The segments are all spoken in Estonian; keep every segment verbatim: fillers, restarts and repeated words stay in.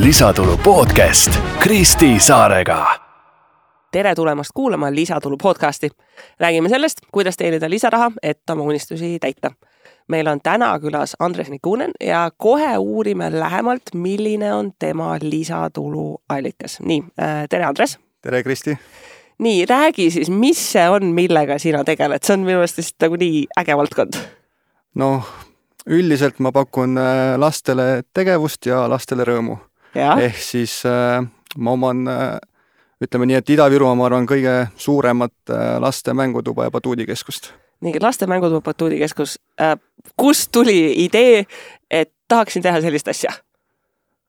Lisatulu podcast Kristi Saarega. Tere tulemast kuulama Lisatulu podcasti. Räägime sellest, kuidas teenida lisaraha, et oma unistusi täita. Meil on täna külas Andres Nikunen ja kohe uurime lähemalt, milline on tema lisatulu allikas. Nii, tere Andres. Tere Kristi. Nii, räägi siis, mis see on, millega sina tegeled? See on minu meelest nagu nii äge valdkond. No, üldiselt ma pakun lastele tegevust ja lastele rõõmu. Ja? Ehk siis äh, ma oman, äh, ütleme nii, et Ida-Virumaa ma arvan kõige suuremat äh, laste mängutuba ja batuudikeskust. Nii, laste mängutuba batuudikeskus. Äh, kust tuli idee, et tahaksin teha sellist asja?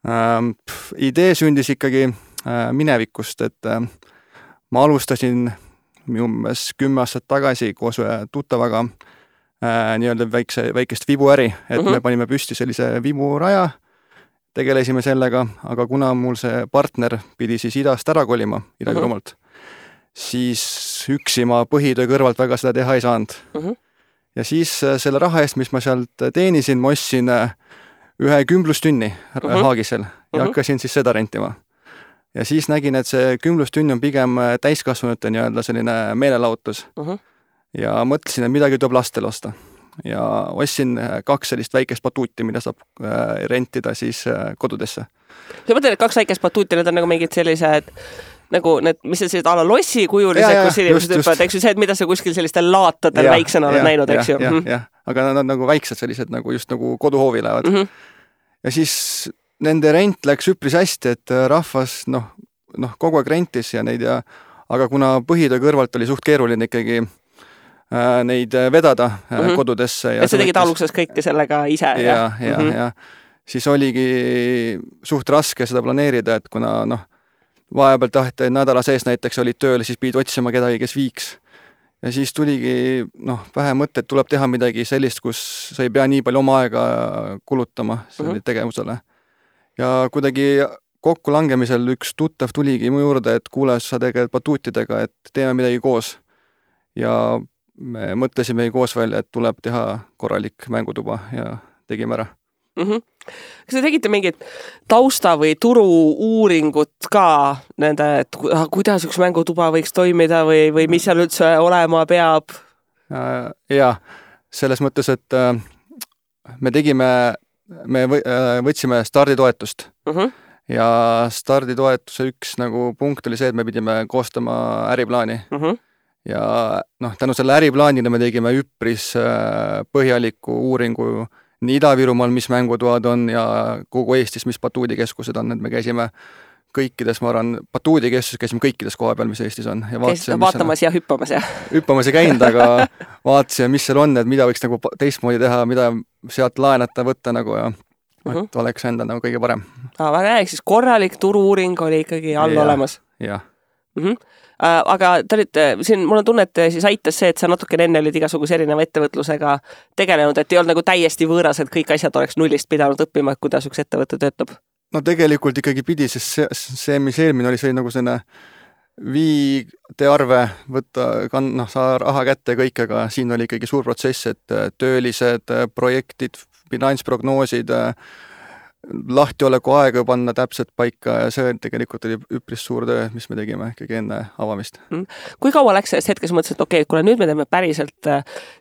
Ähm, pff, idee sündis ikkagi äh, minevikust, et äh, ma alustasin umbes kümme aastat tagasi koos ühe tuttavaga äh, nii-öelda väikse, väikest vibuäri, et uh-huh. me panime püsti sellise viburaja, tegelesime sellega, aga kuna mul see partner pidi siis idast ära kolima, Ida-Virumaalt, uh-huh. siis üksi ma põhitöö kõrvalt väga seda teha ei saanud. Uh-huh. Ja siis selle raha eest, mis ma sealt teenisin, ma ostsin ühe kümblustünni uh-huh. Haagisel ja uh-huh. hakkasin siis seda rentima. Ja siis nägin, et see kümblustünn on pigem täiskasvanute nii-öelda selline meelelahutus. Uh-huh. Ja mõtlesin, et midagi tuleb lastele osta. Ja ostsin kaks sellist väikest batuuti, mida saab rentida siis kodudesse. Sa mõtled, et kaks väikest batuuti, need on nagu mingid sellised, nagu need, mis on sellised ala lossi kujulised, ja, kus inimesed hüppavad, eks ju see, et mida sa kuskil sellistel laatadel ja, väiksena oled näinud, eks ju. Ja, ja, ja, aga nad on nagu väiksed sellised, nagu just nagu koduhoovi lähevad. Mm-hmm. Ja siis nende rent läks üpris hästi, et rahvas noh, noh, kogu aeg rentis ja neid ja, aga kuna põhitöö kõrvalt oli suht keeruline ikkagi neid vedada mm-hmm. kodudesse. Ja et sa tegid aluksest kõike sellega ise. Ja, ja, ja, mm-hmm. ja siis oligi suht raske seda planeerida, et kuna noh, vahepeal tahti nädala sees näiteks olid tööl, siis pidid otsima kedagi, kes viiks. Ja siis tuligi noh, vähe mõte, et tuleb teha midagi sellist, kus sa ei pea nii palju oma aega kulutama selle mm-hmm. tegevusele. Ja kuidagi kokku langemisel üks tuttav tuligi mu juurde, et kuule, sa tegeled batuutidega, et teeme midagi koos. Ja me mõtlesime koos välja, et tuleb teha korralik mängutuba ja tegime ära. Mm-hmm. Kas te tegite mingit tausta või turu uuringut ka nende, et kuidas üks mängutuba võiks toimida või, või mis seal üldse olema peab? Ja, selles mõttes, et me tegime, me võtsime starditoetust mm-hmm. ja starditoetuse üks nagu punkt oli see, et me pidime koostama äriplaani. Mm-hmm. Ja noh, tänu selle äriplaanile me tegime üpris põhjaliku uuringu nii Ida-Virumaal, mis mängutoad on ja kogu Eestis, mis batuudikeskused on, et me käisime kõikides, ma arvan, batuudikeskuses käisime kõikides koha peal, mis Eestis on. Ja vaatasime, vaatamas ja hüppamas ja? Hüppamas ei käinud, aga vaatasime, mis seal on, et mida võiks nagu teistmoodi teha, mida sealt laenata, võtta nagu ja uh-huh. et oleks enda nagu kõige parem. Ah, väga rääk, siis korralik turu-uuring oli ikkagi all ja, olemas. Jah. Mhm. Uh, aga te olite, siin mul on tunne, et siis aitas see, et sa natuke enne olid igasuguse erineva ettevõtlusega tegelenud, et ei olnud nagu täiesti võõras, et kõik asjad oleks nullist pidanud õppima, et kuidas üks ettevõte töötab? No tegelikult ikkagi pidi, sest see, see mis eelmine oli, see oli nagu selline viite arve võtta, noh, saa raha kätte kõik, aga siin oli ikkagi suur protsess, et töölised, projektid, finantsprognoosid, lahtioleku aega panna täpselt paika ja see tegelikult oli üpris suur töö, mis me tegime ikkagi enne avamist. Kui kaua läks sellest hetkes mõtlesin, et okei, kuna nüüd me teeme päriselt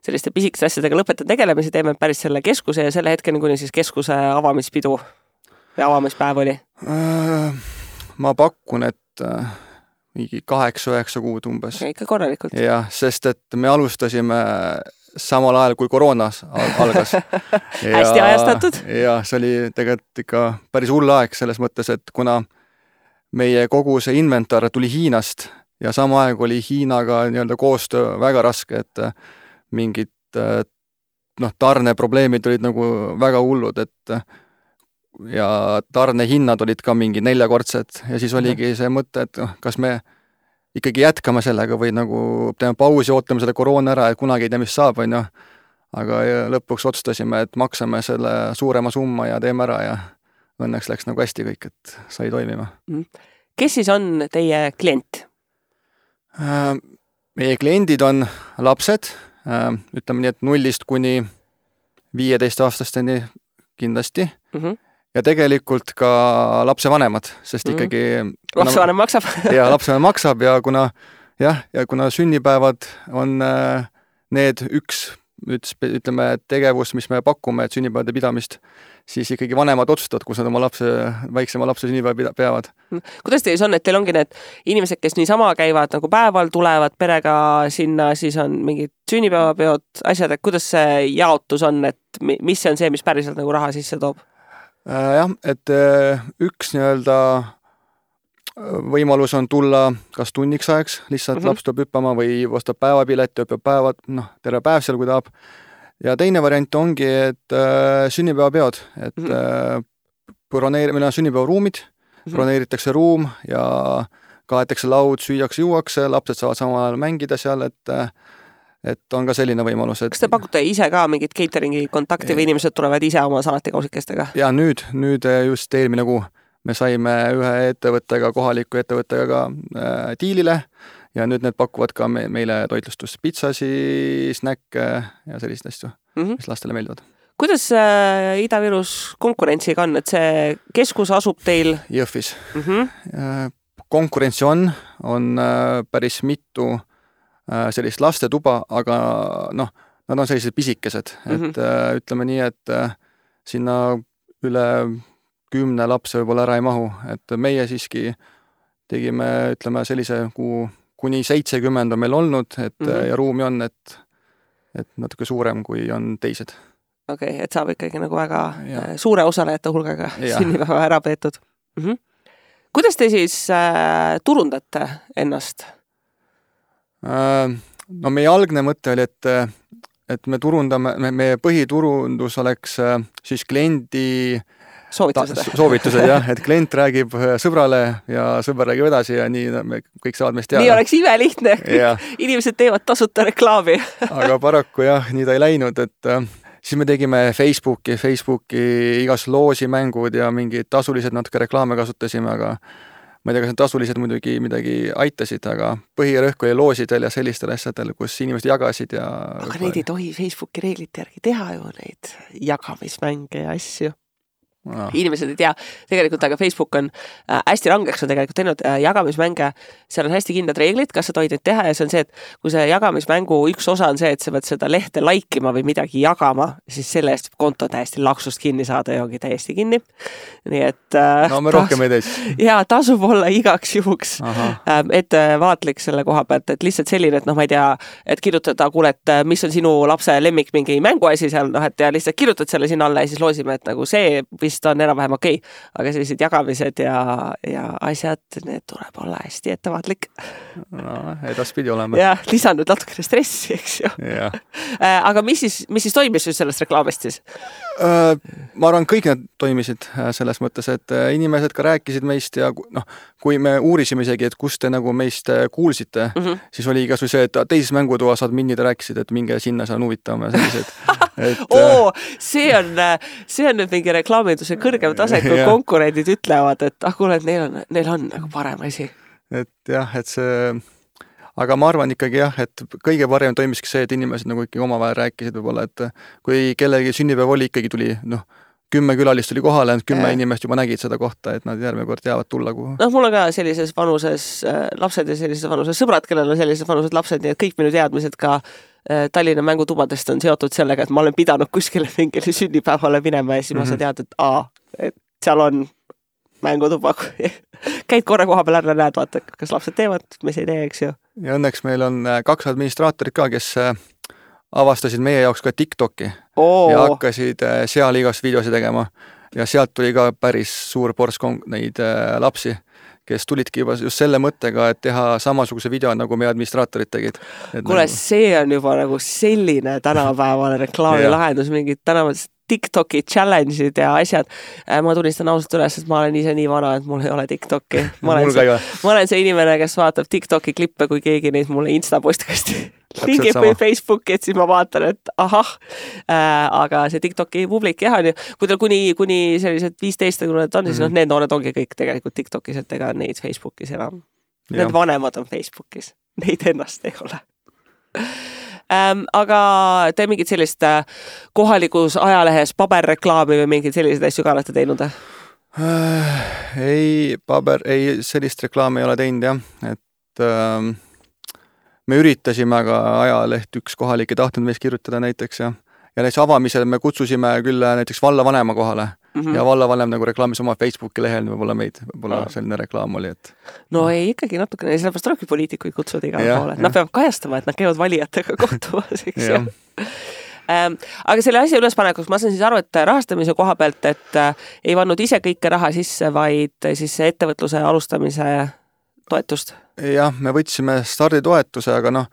selliste pisikeste asjadega lõpetan tegelemisi, teeme päris selle keskuse ja selle hetkeni, kuni siis keskuse avamispidu või avamispäev oli? Ma pakun, et mingi kaheksa-üheksa kuud umbes. Okay, ikka korralikult. Jah, sest et me alustasime samal ajal, kui koroonas algas. Ja, hästi ajastatud. Ja see oli tegelikult ikka päris hull aeg selles mõttes, et kuna meie kogu see inventar tuli Hiinast ja sama aeg oli Hiinaga nii-öelda koostöö väga raske, et mingid noh, tarneprobleemid olid nagu väga hullud, et ja tarnehinnad olid ka mingi neljakordsed ja siis oligi see mõte, et kas me ikkagi jätkame sellega või nagu teeme pausi, ootame selle koroona ära ja kunagi ei tea, mis saab, on ju. Aga lõpuks otsustasime, et maksame selle suurema summa ja teeme ära ja õnneks läks nagu hästi kõik, et sai toimima. Kes siis on teie klient? Meie kliendid on lapsed, ütleme nii, et nullist kuni viieteist aastasteni kindlasti. Mm-hmm. ja tegelikult ka lapsevanemad, sest ikkagi mm. lapsevanem maksab. ja lapsevanem maksab ja kuna jah, ja kuna sünnipäevad on need üks, ütleme, tegevus, mis me pakume, et sünnipäevade pidamist, siis ikkagi vanemad otsustavad, kus nad oma lapse, väiksema lapse sünnipäeva peavad. Kuidas teis on, et teil ongi need inimesed, kes niisama käivad nagu päeval, tulevad perega sinna, siis on mingid sünnipäevapeod, asjad, et kuidas see jaotus on, et mis see on see, mis päriselt nagu raha sisse toob? Jah, et üks nii-öelda võimalus on tulla kas tunniks ajaks, lihtsalt mm-hmm. laps tuleb hüppama või ostab päevapilet ja hüppab päevad, noh, terve päev seal, kui tahab. Ja teine variant ongi, et äh, sünnipäevapeod, et mm-hmm. äh, broneer, meil on sünnipäevaruumid, mm-hmm. broneeritakse ruum ja kaetakse laud, süüakse, juuakse, lapsed saavad samal ajal mängida seal, et et on ka selline võimalus. Et... Kas te pakute ise ka mingit cateringi kontakti või inimesed tulevad ise oma salatikausikestega? Ja nüüd, nüüd just eelmine kuu me saime ühe ettevõttega, kohaliku ettevõttega ka äh, diilile ja nüüd need pakuvad ka me, meile toitlustus pitsasi, snäkke ja selliseid asju, mm-hmm. mis lastele meeldivad. Kuidas äh, Ida-Virus konkurentsiga on, et see keskus asub teil? Jõhvis. Mm-hmm. Konkurentsi on, on äh, päris mitu sellist lastetuba, aga noh, nad on sellised pisikesed, et mm-hmm. äh, ütleme nii, et äh, sinna üle kümne lapse võib-olla ära ei mahu, et meie siiski tegime, ütleme sellise, kuhu kuni seitsekümmend on meil olnud, et mm-hmm. ja ruumi on, et, et natuke suurem, kui on teised. Okei, okay, et saab ikkagi nagu väga ja. suure osalejate hulgaga sünnipäeva ära peetud. Mm-hmm. Kuidas te siis äh, turundate ennast? No meie algne mõte oli, et, et me turundame, me, meie põhiturundus oleks siis kliendi soovitused, ta, soovitused jah, et klient räägib sõbrale ja sõber räägib edasi ja nii me kõik saavad meist teada. Nii oleks imelihtne, inimesed teevad tasuta reklaami. Aga paraku jah, nii ta ei läinud, et siis me tegime Facebooki, Facebooki igas loosimängud ja mingid tasulised natuke reklaame kasutasime, aga ma ei tea, kas need tasulised muidugi midagi aitasid, aga põhirõhk oli loosidel ja sellistel asjadel, kus inimesed jagasid ja... Aga neid ei tohi Facebooki reeglite järgi teha ju neid jagamismänge ja asju. No. Inimesed ei tea tegelikult, aga Facebook on äh, hästi rangeks on tegelikult teinud äh, jagamismänge, seal on hästi kindlad reeglid, kas sa tohid neid teha ja see on see, et kui see jagamismängu üks osa on see, et sa pead seda lehte laikima või midagi jagama, siis selle eest konto täiesti laksust kinni saada ja ongi täiesti kinni. Nii et äh, no me rohkem ei teis. Ja tasub olla igaks juhuks äh, ettevaatlik selle koha pealt, et lihtsalt selline, et noh, ma ei tea, et kirjutada, kuule, et mis on sinu lapse lemmik mingi mänguasi seal, noh, et ja lihtsalt kirjutad selle sinna alla ja siis loosime, et nagu see vist on enam-vähem okei, okay. aga sellised jagamised ja, ja asjad, need tuleb olla hästi ettevaatlik. No, edaspidi oleme. Ja lisanud natukene stressi, eks ju. Ja. Aga mis siis, mis siis toimis sellest reklaamist siis? Ma arvan, kõik need toimisid selles mõttes, et inimesed ka rääkisid meist ja noh, kui me uurisime isegi, et kust te nagu meist kuulsite, mm-hmm. siis oli igasugune see, et teises mängutoas saad minnid ja rääkisid, et minge sinna, see on huvitavam ja sellised. Et, Oo, see on, see on nüüd mingi reklaaminduse kõrgem tase, kui konkurendid ütlevad, et ah, kuule, et neil on, neil on nagu parem asi. Et jah, et see, aga ma arvan ikkagi jah, et kõige parem toimiski see, et inimesed nagu ikkagi omavahel rääkisid võib-olla, et kui kellegi sünnipäev oli, ikkagi tuli, noh, kümme külalist tuli kohale, kümme ja. inimest juba nägid seda kohta, et nad järgmine kord teavad tulla kuhu. Noh, mul on ka sellises vanuses äh, lapsed ja sellises vanuses sõbrad, kellel on sellises vanuses lapsed, nii et kõik minu teadmised ka äh, Tallinna mängutubadest on seotud sellega, et ma olen pidanud kuskile mingile sünnipäevale minema ja siis mm-hmm. ma saan teada, et aa, et seal on mängutuba. Käid korra koha peal ära, näed, vaata, kas lapsed teevad, mis ei tee, eks ju. Ja õnneks meil on kaks administraatorit ka, kes avastasid meie jaoks ka TikToki Oo. ja hakkasid seal igast videosi tegema ja sealt tuli ka päris suur ports neid lapsi, kes tulidki juba just selle mõttega, et teha samasuguse video, nagu meie administraatorid tegid. Kuule, nagu... see on juba nagu selline tänapäevale reklaamilahendus, mingid tänavad TikToki challenge'id ja asjad. Ma tunnistan ausalt üles, et ma olen ise nii vana, et mul ei ole TikToki. Ma olen, see, ma olen see inimene, kes vaatab TikToki klippe, kui keegi neid mulle Insta-postkasti lingib või Facebooki, et siis ma vaatan, et ahah, äh, aga see TikToki publik jah on ju, kui teil kuni, kuni sellised viisteist on, siis mm-hmm. noh, need noored ongi kõik tegelikult TikTokis, et ega neid Facebookis enam. Need vanemad on Facebookis, neid ennast ei ole. ähm,. Aga te mingit sellist kohalikus ajalehes paberreklaami või mingeid selliseid asju ka olete teinud? Äh, ei, paber, ei, sellist reklaami ei ole teinud jah, et äh, me üritasime, aga ajaleht üks kohalik ei tahtnud meist kirjutada näiteks ja, ja näiteks avamisel me kutsusime küll näiteks vallavanema kohale mm -hmm. ja vallavanem nagu reklaamis oma Facebooki lehel, võib-olla meid, võib-olla no. selline reklaam oli, et no ei, ikkagi natukene, sellepärast tulebki poliitikuid kutsuda igale poole, nad peavad kajastama, et nad käivad valijatega kohtumas, eks ju. Ähm, aga selle asja ülespanekuks ma saan siis aru, et rahastamise koha pealt, et äh, ei pannud ise kõike raha sisse, vaid siis ettevõtluse alustamise toetust? Jah, me võtsime starditoetuse, aga noh,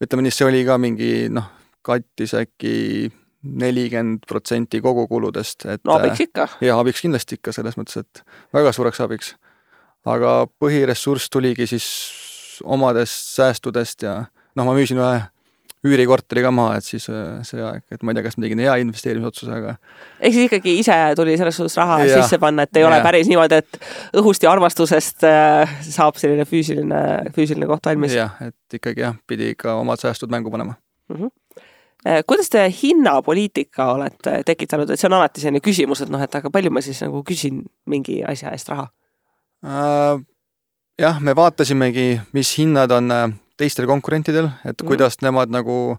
ütleme nii, see oli ka mingi, noh, kattis äkki nelikümmend protsenti kogukuludest. Et, no abiks ikka. Ja abiks kindlasti ikka selles mõttes, et väga suureks abiks. Aga põhiressurss tuligi siis omadest säästudest ja noh, ma müüsin ühe üürikorteri ka maha, et siis see aeg, et ma ei tea, kas ma tegin hea investeerimisotsuse, aga ehk siis ikkagi ise tuli selles suhtes raha ja, sisse panna, et ei ja. ole päris niimoodi, et õhust ja armastusest äh, saab selline füüsiline, füüsiline koht valmis. Jah, et ikkagi jah, pidi ka omad säästud mängu panema. Mm -hmm. Kuidas te hinnapoliitika olete tekitanud, et see on alati selline küsimus, et noh, et aga palju ma siis nagu küsin mingi asja eest raha? Äh, jah, me vaatasimegi, mis hinnad on teistel konkurentidel, et mm. kuidas nemad nagu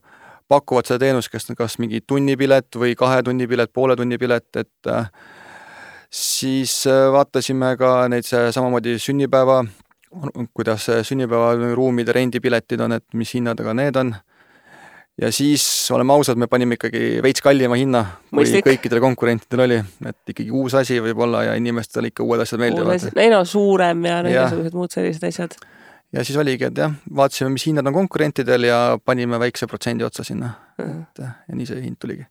pakuvad seda teenust, kas, kas mingi tunnipilet või kahe tunnipilet, poole tunnipilet, et äh, siis vaatasime ka neid samamoodi sünnipäeva, kuidas sünnipäeva ruumide rendipiletid on, et mis hinnadega need on. Ja siis, oleme ausad, me panime ikkagi veits kallima hinna, kui Mõistlik. kõikidel konkurentidel oli, et ikkagi uus asi võib olla ja inimestel ikka uued asjad meeldivad. Ei no, suurem ja negasugused muud sellised asjad. Ja siis oligi, et jah, vaatasime, mis hinnad on konkurentidel ja panime väikse protsendi otsa sinna. Uh-huh. Et, ja nii see hind tuligi.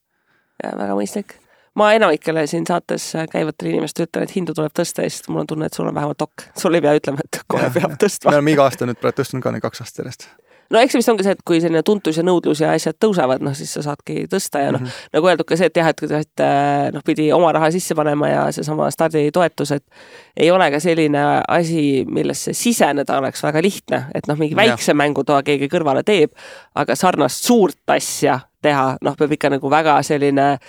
Ja väga mõistlik. Ma enamikele siin saates käivatele inimest ütlen, et hindu tuleb tõsta ja siis mul on tunne, et sul on vähemalt ok. Sul ei pea ütlema, et kohe ja, peab tõstma. Me oleme iga aasta nüüd praegu tõstnud ka neid kaks aastat järjest. No eks vist ongi see, et kui selline tuntus ja nõudlus ja asjad tõusevad, noh siis sa saadki tõsta ja noh, mm -hmm. nagu öeldud ka see, et jah, et, et noh, pidi oma raha sisse panema ja seesama starditoetus, et ei ole ka selline asi, millesse siseneda oleks väga lihtne, et noh, mingi väikse ja. mängutoa keegi kõrvale teeb, aga sarnast suurt asja teha, noh, peab ikka nagu väga selline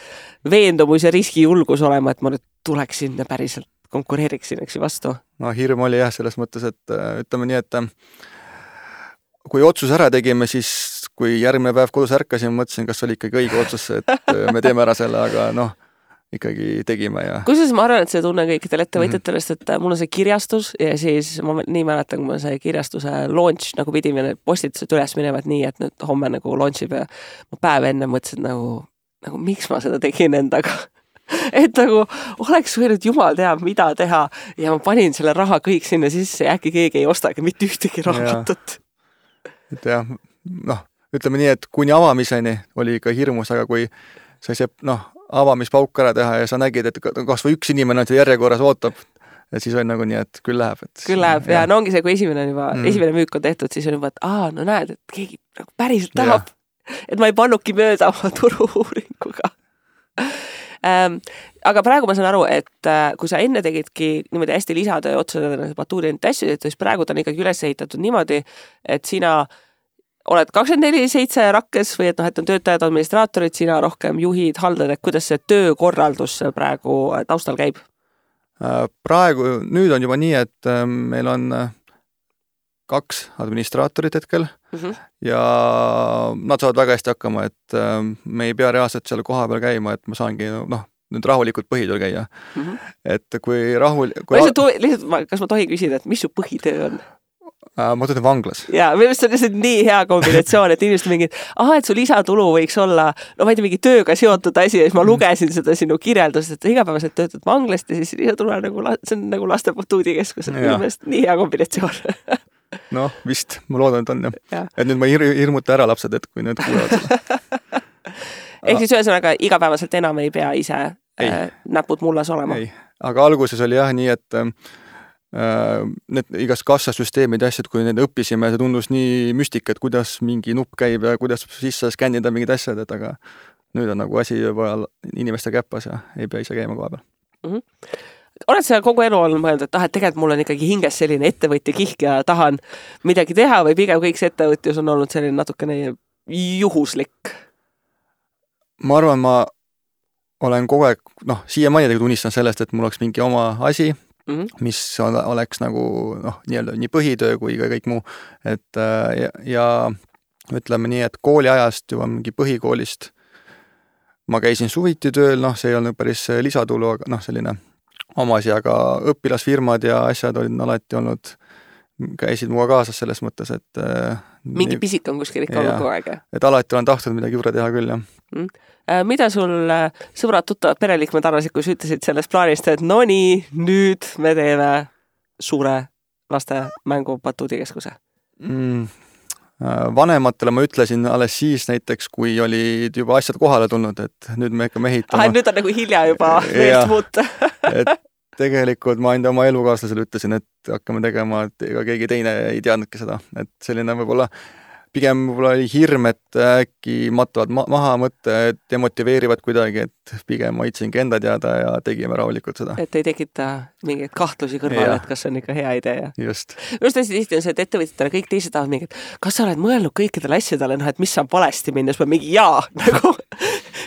veendumus ja riskijulgus olema, et ma nüüd tuleksin ja päriselt konkureeriksin, eks ju vastu. No hirm oli jah, selles mõttes, et ütleme nii, et kui otsus ära tegime, siis kui järgmine päev kodus ärkasin, mõtlesin, kas oli ikkagi õige otsus, et me teeme ära selle, aga noh, ikkagi tegime ja... Kusjuures ma arvan, et see tunne kõikidel ettevõtjatest, et mul on see kirjastus ja siis ma nii mäletan, kui ma see kirjastuse launch nagu pidime need postitused üles minevad nii, et nüüd homme nagu launchib ja ma päev enne mõtlesin nagu, nagu miks ma seda tegin endaga. Et nagu oleks võinud jumal teab, mida teha ja ma panin selle raha kõik sinna sisse ja äkki keegi ei ostagi mitte ühtegi raamatut. Et jah, noh, ütleme nii, et kuni avamiseni oli ikka hirmus, aga kui sai see, noh, avamispauk ära teha ja sa nägid, et kas või üks inimene on järjekorras ootab, et siis oli nagu nii, et küll läheb. Et küll läheb ja, ja no ongi see, kui esimene on juba, mm. esimene müük on tehtud, siis on juba, et aa, no näed, et keegi nagu päriselt tahab, et ma ei pannudki mööda oma turu-uuringuga. Ähm, aga praegu ma saan aru, et äh, kui sa enne tegidki niimoodi hästi lisatöö otsadena batuuri enda asju, siis praegu ta on ikkagi üles ehitatud niimoodi, et sina oled kakskümmend neli seitse rakkes või et noh, et on töötajad, administraatorid, sina rohkem juhid, haldad, et kuidas see töökorraldus praegu taustal käib? Praegu, nüüd on juba nii, et meil on kaks administraatorit hetkel mm -hmm. ja nad saavad väga hästi hakkama, et me ei pea reaalselt seal koha peal käima, et ma saangi noh, nüüd rahulikult põhitööl käia. Mm -hmm. Et kui rahul... Kui ma lihtsalt, lihtsalt, kas ma tohin küsida, et mis su põhitöö on? Ma töötan vanglas. Ja, minu arust on lihtsalt nii hea kombinatsioon, et inimesed mingid, aha, et su lisatulu võiks olla, no ma ei tea, mingi tööga seotud asi ja siis ma lugesin seda sinu kirjeldust, et igapäevaselt töötad vanglast ja siis lisatulu on nagu, see on nagu laste batuudikeskus, et minu meelest nii hea kombinatsioon. Noh, vist, ma loodan, et on jah. Ja. Et nüüd ma hir hirmuta ära lapsed, et kui need kuulevad seda. Ehk siis ühesõnaga igapäevaselt enam ei pea ise äh, näpud mullas olema. Ei, aga alguses oli jah nii, et äh, need igast kassasüsteemid ja asjad, kui need õppisime, see tundus nii müstika, et kuidas mingi nupp käib ja kuidas sisse skännida mingid asjad, et aga nüüd on nagu asi juba inimeste käpas ja ei pea ise käima koha peal. Mm -hmm. Oled sa kogu elu olnud mõelnud, et ah, et tegelikult mul on ikkagi hinges selline ettevõtja kihk ja tahan midagi teha või pigem kõik see ettevõtjus on olnud selline natukene juhuslik? Ma arvan, ma olen kogu aeg, noh, siiamaani tegelikult unistan sellest, et mul oleks mingi oma asi, mm -hmm. mis oleks nagu, noh, nii-öelda nii põhitöö kui ka kõik muu. Et ja, ja ütleme nii, et kooliajast juba mingi põhikoolist ma käisin suviti tööl, noh, see ei olnud päris lisatulu, aga noh, selline oma asi, aga õpilasfirmad ja asjad olid alati olnud, käisid muga kaasas selles mõttes, et mingi nii, pisik on kuskil ikka olnud kogu aeg. Et alati olen tahtnud midagi juurde teha küll, jah. Mm. Mida sul sõbrad, tuttavad, pereliikmed arvasid, kui sa ütlesid sellest plaanist, et no nii, nüüd me teeme suure laste mängu batuudikeskuse? Mm. Vanematele ma ütlesin alles siis näiteks, kui olid juba asjad kohale tulnud, et nüüd me ikka mehitama. Ah, nüüd on nagu hilja juba meelt muuta. Et tegelikult ma enda oma elukaaslasele ütlesin, et hakkame tegema, et ega keegi teine ei teadnudki seda. Et selline võib-olla, pigem võib-olla oli hirm, et äkki matavad ma maha mõtte, et demotiveerivad kuidagi, et pigem hoidsingi enda teada ja tegime rahulikult seda. Et ei tekita mingeid kahtlusi kõrvale, et kas on ikka hea idee. Just. Just hästi tihti on see, et ettevõtjatele kõik teised tahavad mingi, et kas sa oled mõelnud kõikidele asjadele, noh, et mis saab valesti minna, siis ma mingi jaa, nagu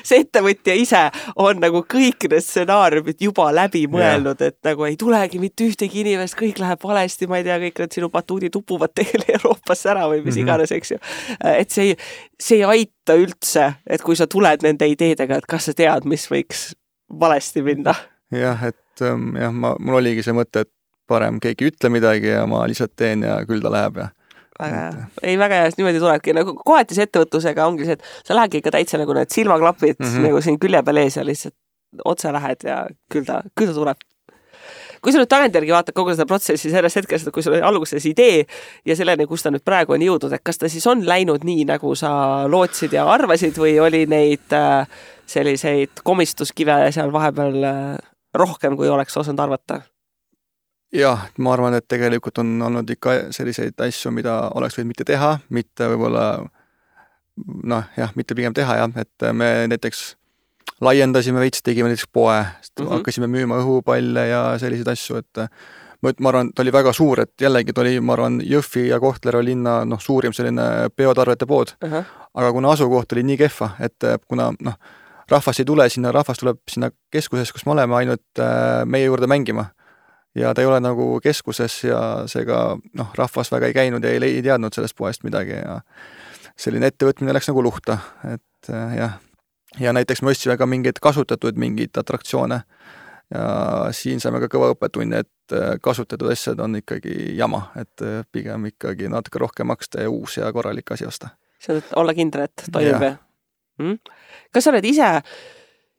see ettevõtja ise on nagu kõik need stsenaariumid juba läbi mõelnud, et nagu ei tulegi mitte ühtegi inimest, kõik läheb valesti, ma ei tea, kõik need sinu batuudid upuvad teile Euroopasse ära või mis iganes, eks ju. Et see ei, see ei aita üldse, et kui sa tuled nende ideedega, et kas sa tead, mis võiks valesti minna. Jah, et jah, ma, mul oligi see mõte, et parem keegi ütle midagi ja ma lihtsalt teen ja küll ta läheb ja väga hea. Ei, väga hea, niimoodi tulebki. Nagu kohati see ettevõtlusega ongi see, et sa lähedki ikka täitsa nagu need silmaklapid mm -hmm. nagu siin külje peal ees ja lihtsalt otse lähed ja küll ta, küll ta tuleb. Kui sa nüüd tagantjärgi vaatad kogu seda protsessi sellest hetkest, kui sul oli alguses idee ja selleni, kus ta nüüd praegu on jõudnud, et kas ta siis on läinud nii, nagu sa lootsid ja arvasid või oli neid selliseid komistuskive seal vahepeal rohkem, kui oleks osanud arvata? Jah, ma arvan, et tegelikult on olnud ikka selliseid asju, mida oleks võinud mitte teha, mitte võib-olla, noh jah, mitte pigem teha jah, et me näiteks laiendasime veits, tegime näiteks poe, mm -hmm. hakkasime müüma õhupalle ja selliseid asju, et ma, ma arvan, ta oli väga suur, et jällegi ta oli, ma arvan, Jõhvi ja Kohtla linna noh, suurim selline peotarvete pood, uh -huh. aga kuna asukoht oli nii kehva, et kuna noh, rahvas ei tule sinna, rahvas tuleb sinna keskuses, kus me oleme, ainult meie juurde mängima. Ja ta ei ole nagu keskuses ja seega noh, rahvas väga ei käinud ja ei, ei teadnud sellest poest midagi ja selline ettevõtmine läks nagu luhta, et jah. Ja näiteks me ostsime ka mingeid kasutatud mingeid atraktsioone ja siin saime ka kõva õppetunni, et kasutatud asjad on ikkagi jama, et pigem ikkagi natuke rohkem maksta ja uus ja korralik asi osta. See on olla kindel, et toimub ja. Hmm? Kas sa oled ise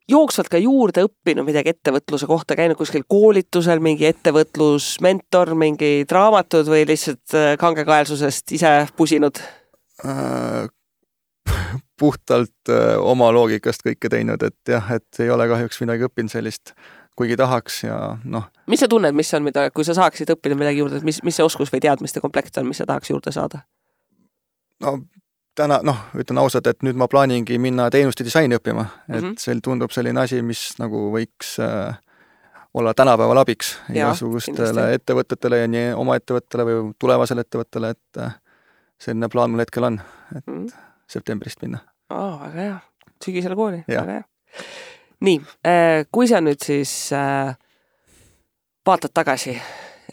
jooksvalt ka juurde õppinud midagi ettevõtluse kohta, käinud kuskil koolitusel, mingi ettevõtlusmentor, mingi raamatud või lihtsalt kangekaelsusest ise pusinud? Äh, puhtalt äh, oma loogikast kõike teinud, et jah, et ei ole kahjuks midagi õppinud sellist, kuigi tahaks ja noh. Mis sa tunned, mis on, mida, kui sa saaksid õppida midagi juurde, mis, mis see oskus või teadmiste komplekt on, mis sa tahaks juurde saada? No täna, noh, ütlen ausalt, et nüüd ma plaaningi minna teenuste disaini õppima, et mm -hmm. see tundub selline asi, mis nagu võiks äh, olla tänapäeval abiks igasugustele ettevõtetele ja nii oma ettevõttele või tulevasele ettevõttele, et äh, selline plaan mul hetkel on, et mm -hmm. septembrist minna. Oh, väga hea. Sügisele kooli. Väga hea. Nii, äh, kui sa nüüd siis äh, vaatad tagasi,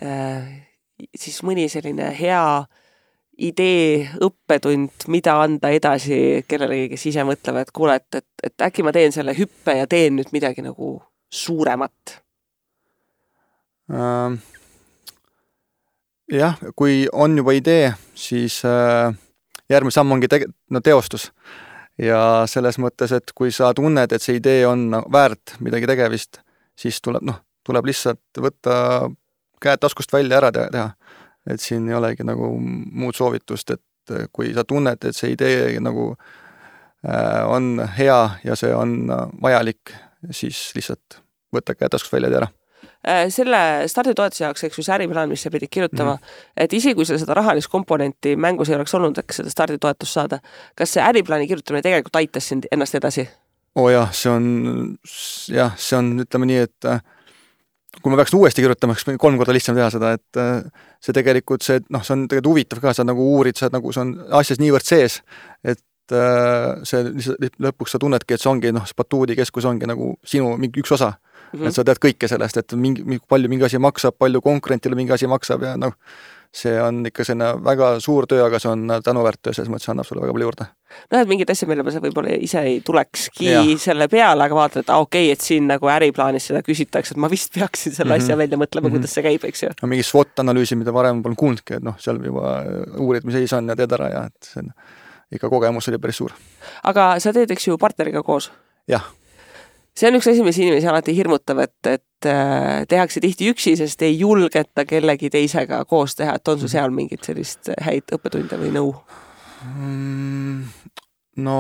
äh, siis mõni selline hea idee, õppetund, mida anda edasi kellelegi, kes ise mõtlevad, et kuule, et, et, et äkki ma teen selle hüppe ja teen nüüd midagi nagu suuremat? Äh, jah, kui on juba idee, siis äh, järgmine samm ongi te no, teostus. Ja selles mõttes, et kui sa tunned, et see idee on väärt midagi tegevist, siis tuleb, noh, tuleb lihtsalt võtta käed taskust välja ära teha. Et siin ei olegi nagu muud soovitust, et kui sa tunned, et see idee nagu äh, on hea ja see on vajalik, siis lihtsalt võtta käed taskust välja ära. Selle starditoetuse jaoks, eks ju see äriplaan, mis sa pidid kirjutama, mm -hmm. et isegi kui seda rahalist komponenti mängus ei oleks olnud, eks seda starditoetust saada, kas see äriplaani kirjutamine tegelikult aitas sind ennast edasi? Oo jah, see on, jah, see on, ütleme nii, et kui ma peaks uuesti kirjutama, siis kolm korda lihtsam teha seda, et see tegelikult see, noh, see on tegelikult huvitav ka, sa nagu uurid, sa nagu, see on asjas niivõrd sees, et see lõpuks sa tunnedki, et see ongi, noh, batuudikeskus ongi nagu sinu mingi üks osa. Mm -hmm. Et sa tead kõike sellest, et mingi, palju mingi asi maksab, palju konkurentile mingi asi maksab ja noh, see on ikka selline väga suur töö, aga see on tänuväärt töö, selles mõttes annab sulle väga palju juurde. No, et mingid asjad, mille sa võib-olla ise ei tulekski ja. selle peale, aga vaatad, et ah, okei, okay, et siin nagu äriplaanis seda küsitakse, et ma vist peaksin selle mm -hmm. asja välja mõtlema, mm -hmm. kuidas see käib, eks ju. No, mingi SWOT-analüüsi, mida varem polnud kuulnudki, et noh, seal juba uurid, mis seis on ja teed ära ja et see on, ikka kogemus oli päris suur. Aga sa teed, eks ju, partneriga koos? Jah. See on üks asi, mis inimesi alati hirmutab, et, et tehakse tihti üksi, sest ei julgeta kellegi teisega koos teha, et on su seal mingit sellist häid õppetunde või nõu? No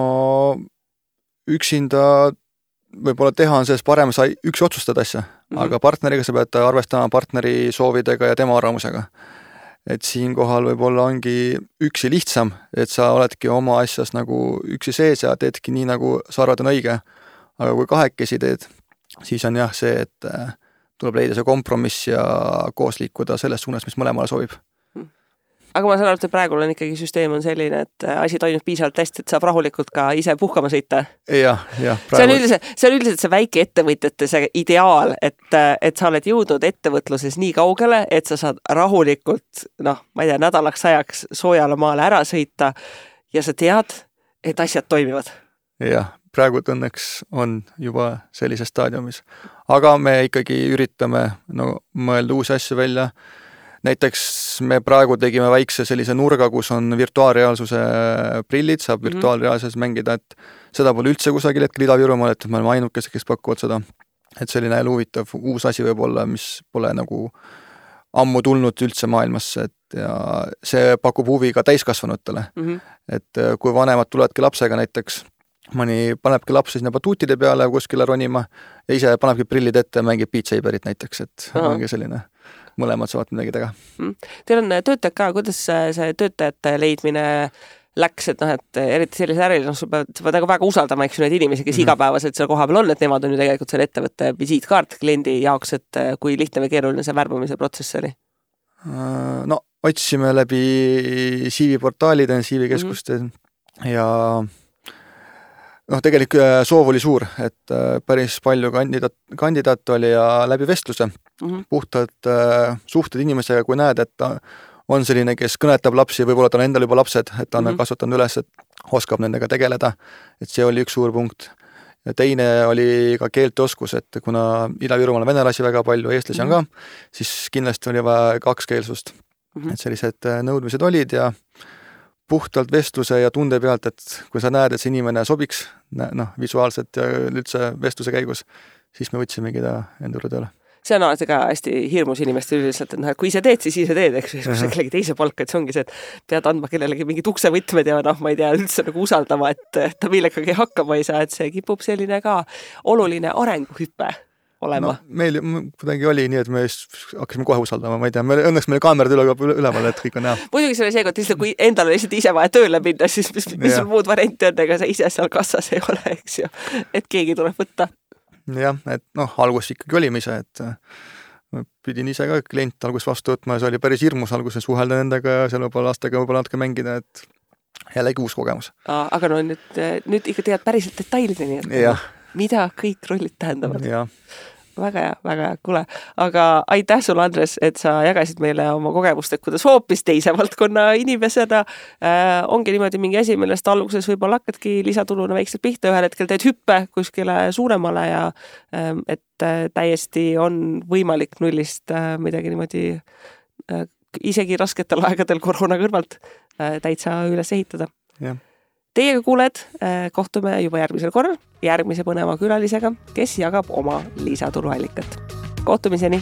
üksinda võib-olla teha on sellest parem, sa üksi otsustad asja, mm -hmm. aga partneriga sa pead arvestama partneri soovidega ja tema arvamusega. Et siinkohal võib-olla ongi üksi lihtsam, et sa oledki oma asjas nagu üksi sees ja teedki nii, nagu sa arvad on õige. Aga kui kahekesi teed, siis on jah see, et tuleb leida see kompromiss ja koos liikuda selles suunas, mis mõlemale sobib. Aga ma saan aru, et praegu on ikkagi süsteem on selline, et asi toimub piisavalt hästi, et saab rahulikult ka ise puhkama sõita. Jah, jah. See on üldiselt, see on üldiselt see väike ettevõtjate see ideaal, et, et sa oled jõudnud ettevõtluses nii kaugele, et sa saad rahulikult, noh, ma ei tea, nädalaks ajaks soojale maale ära sõita ja sa tead, et asjad toimivad. Jah. Praegu õnneks on juba sellises staadiumis. Aga me ikkagi üritame no, mõelda uusi asju välja. Näiteks me praegu tegime väikse sellise nurga, kus on virtuaalreaalsuse prillid, saab virtuaalreaalsuses mängida, et seda pole üldse kusagil hetkel Ida-Virumaal, et me oleme ainukesed, kes pakuvad seda. Et selline huvitav uus asi võib olla, mis pole nagu ammu tulnud üldse maailmasse, et ja see pakub huvi ka täiskasvanutele. Mm -hmm. Et kui vanemad tuledki lapsega näiteks, mõni panebki lapsi sinna batuutide peale kuskile ronima ja ise panebki prillid ette ja mängib Beat Saberit näiteks, et Aha. ongi selline, mõlemad saavad midagi teha. Teil on töötajad ka, kuidas see töötajate leidmine läks, et noh, et eriti sellise äril, noh, sa pead, sa pead väga usaldama, eks ju, neid inimesi, kes mm -hmm. igapäevaselt seal koha peal on, et nemad on ju tegelikult selle ettevõtte visiitkaart kliendi jaoks, et kui lihtne või keeruline see värbamise protsess oli? No, otsime läbi C V-portaalide, C V-keskuste mm -hmm. ja noh, tegelikult soov oli suur, et päris palju kandidaat, kandidaat oli ja läbi vestluse mm -hmm. puhtalt äh, suhted inimesega, kui näed, et on selline, kes kõnetab lapsi, võib-olla ta on endal juba lapsed, et ta on mm -hmm. kasvatanud üles, et oskab nendega tegeleda, et see oli üks suur punkt. Ja teine oli ka keelteoskus, et kuna Ida-Virumaal on venelasi väga palju, eestlasi mm -hmm. on ka, siis kindlasti oli vaja kakskeelsust. Mm -hmm. Et sellised nõudmised olid ja puhtalt vestluse ja tunde pealt, et kui sa näed, et see inimene sobiks, noh, visuaalselt ja üldse vestluse käigus, siis me võtsimegi ta enda juurde tööle. See on alati ka hästi hirmus inimeste üldiselt, et noh, et kui ise teed, siis ise teed, eks kui sa kellegi teise palka, et see ongi see, et pead andma kellelegi mingid uksevõtmed ja noh, ma ei tea, üldse nagu usaldama, et ta millegagi hakkama ei saa, et see kipub selline ka oluline arenguhüpe olema. No, meil kuidagi oli nii, et me hakkasime kohe usaldama, ma ei tea, meil, õnneks meil kaamerad üle, üleval, et kõik on näha. Muidugi see oli see, et kui endal on lihtsalt ise vaja tööle minna, siis mis, mis sul muud varianti on, ega sa ise seal kassas ei ole, eks ju, et keegi tuleb võtta. Jah, et noh, algus ikkagi olime ise, et pidin ise ka klient algus vastu võtma ja see oli päris hirmus alguses suhelda nendega ja seal võib-olla lastega võib-olla natuke mängida, et jällegi uus kogemus. Aga no nüüd, nüüd ikka tead päriselt detailideni, et mida kõik rollid tähendavad. Jah. Väga hea, väga hea, kuule. Aga aitäh sulle, Andres, et sa jagasid meile oma kogemust, et kuidas hoopis teise valdkonna inimesena äh, ongi niimoodi mingi asi, millest alguses võib-olla hakkadki lisatuluna väikselt pihta, ühel hetkel teed hüppe kuskile suuremale ja äh, et äh, täiesti on võimalik nullist äh, midagi niimoodi äh, isegi rasketel aegadel koroona kõrvalt äh, täitsa üles ehitada. Jah. Teiega kuuled, kohtume juba järgmisel korral järgmise põneva külalisega, kes jagab oma lisatuluallikat. Kohtumiseni!